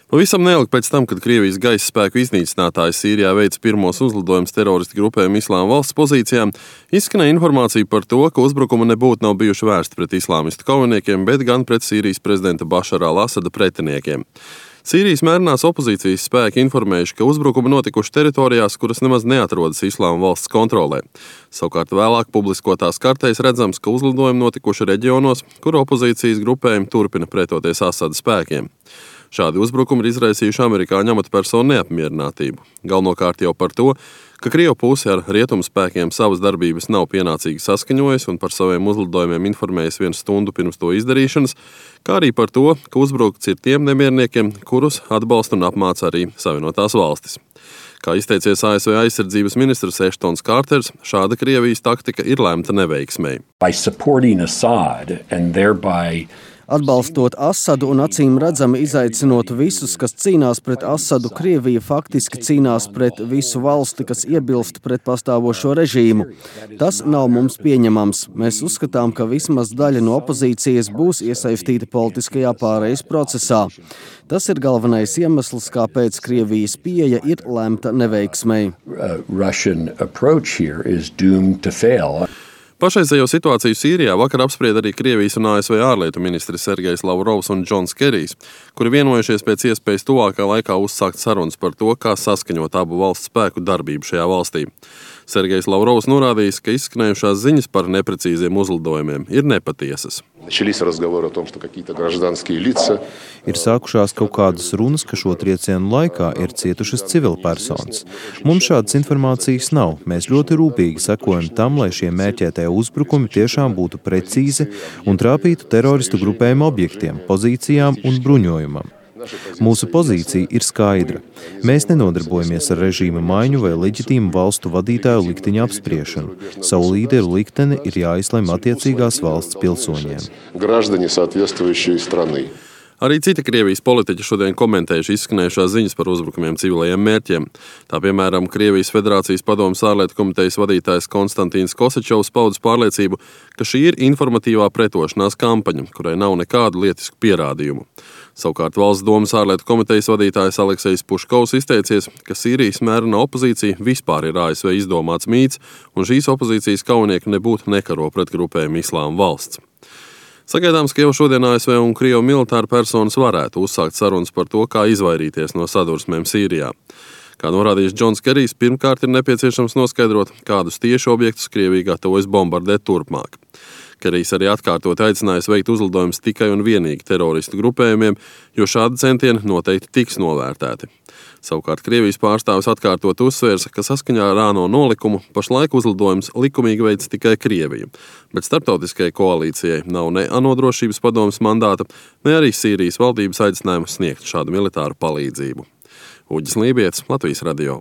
Pavisam neilgi pēc tam, kad Krievijas gaisa spēku iznīcinātāji Sīrijā veica pirmos uzlidojumus teroristu grupējumu Islāma valsts pozīcijām, izskanēja informācija par to, ka uzbrukumi nebūtu nav bijuši vērsti pret islāmistu kaujiniekiem, bet gan pret Sīrijas prezidenta Bašara al-Asada pretiniekiem. Sīrijas mērenās opozīcijas spēki informējuši, ka uzbrukumi notikuši teritorijās, kuras nemaz neatrodas Islāma valsts kontrolē. Savukārt vēlāk publiskotās kartēs redzams, ka uzlidojumi notikuši reģionos, kur opozīcijas grupējumi turpina pretoties Asada spēkiem. Šādi uzbrukumi ir izraisījuši amerikāņu amatpersonu neapmierinātību. Galvenokārt jau par to, ka Krievu puse ar rietumu spēkiem savas darbības nav pienācīgi saskaņojusi un par saviem uzlidojumiem informējis 1 stundu pirms to izdarīšanas, kā arī par to, ka uzbrukts ir tiem nemierniekiem, kurus atbalsta un apmāca arī Savienotās valstis. Kā izteicies ASV aizsardzības ministrs Eštons Kārters, šāda Krievijas taktika ir lemta neveiksmei. Atbalstot Asadu un acīm redzami izaicinot visus, kas cīnās pret Asadu, Krievija faktiski cīnās pret visu valsti, kas iebilst pret pastāvošo režīmu. Tas nav mums pieņemams. Mēs uzskatām, ka vismaz daļa no opozīcijas būs iesaistīta politiskajā pārejas procesā. Tas ir galvenais iemesls, kāpēc Krievijas pieeja ir lemta neveiksmei. Pašreizējo situāciju Sīrijā vakar apsprieda arī Krievijas un ASV ārlietu ministri Sergejs Lavrovs un Džons Kerijs, kuri vienojušies pēc iespējas tuvākā laikā uzsākt sarunas par to, kā saskaņot abu valstu spēku darbību šajā valstī. Sergejs Lavrovs norādījis, ka izskanējušās ziņas par neprecīziem uzlidojumiem ir nepatiesas. Ir sākušās kaut kādas runas, ka šo triecienu laikā ir cietušas civilpersonas. Mums šādas informācijas nav. Mēs ļoti rūpīgi sekojam tam, lai šie mērķētie uzbrukumi tiešām būtu precīzi un trāpītu teroristu grupējumu objektiem, pozīcijām un bruņojumam. Mūsu pozīcija ir skaidra. Mēs nenodarbojamies ar režīma maiņu vai leģitīmu valstu vadītāju likteņa apspriešanu. Savu līderu likteni ir jāizlemj attiecīgās valsts pilsoņiem. Arī citi Krievijas politiķi šodien komentējuši izskanējušās ziņas par uzbrukumiem civilajiem mērķiem. Tā piemēram, Krievijas Federācijas padomes ārlietu komitejas vadītājs Konstantīns Kosečovs paudis pārliecību, ka šī ir informatīvā pretošanās kampaņa, kurai nav nekādu lietisku pierādījumu. Savukārt Valsts domas ārlietu komitejas vadītājs Aleksejs Puškovs izteicies, ka Sīrijas mērenā opozīcija vispār ir ASV izdomāts mīts, un šīs opozīcijas kaujinieki nebūtu nekaro pret grupējumu Islāma valsts. Sagaidāms, ka jau šodien ASV un Krievu militāri personas varētu uzsākt sarunas par to, kā izvairīties no sadursmēm Sīrijā. Kā norādījis Džons Kerijs, pirmkārt ir nepieciešams noskaidrot, kādus tieši objektus Krievija gatavojas bombardēt turpmāk. Kerijs arī atkārtot aicinājis veikt uzlidojumus tikai un vienīgi teroristu grupējumiem, jo šādi centieni noteikti tiks novērtēti. Savukārt Krievijas pārstāvis atkārtot uzsvērs, ka saskaņā ar ANO nolikumu pašlaik uzlidojums likumīgi veids tikai Krievija, bet starptautiskajai koalīcijai nav ne ANO drošības padomes mandāta, ne arī Sīrijas valdības aicinājumu sniegt šādu militāru palīdzību. Uģis Lībietis, Latvijas radio.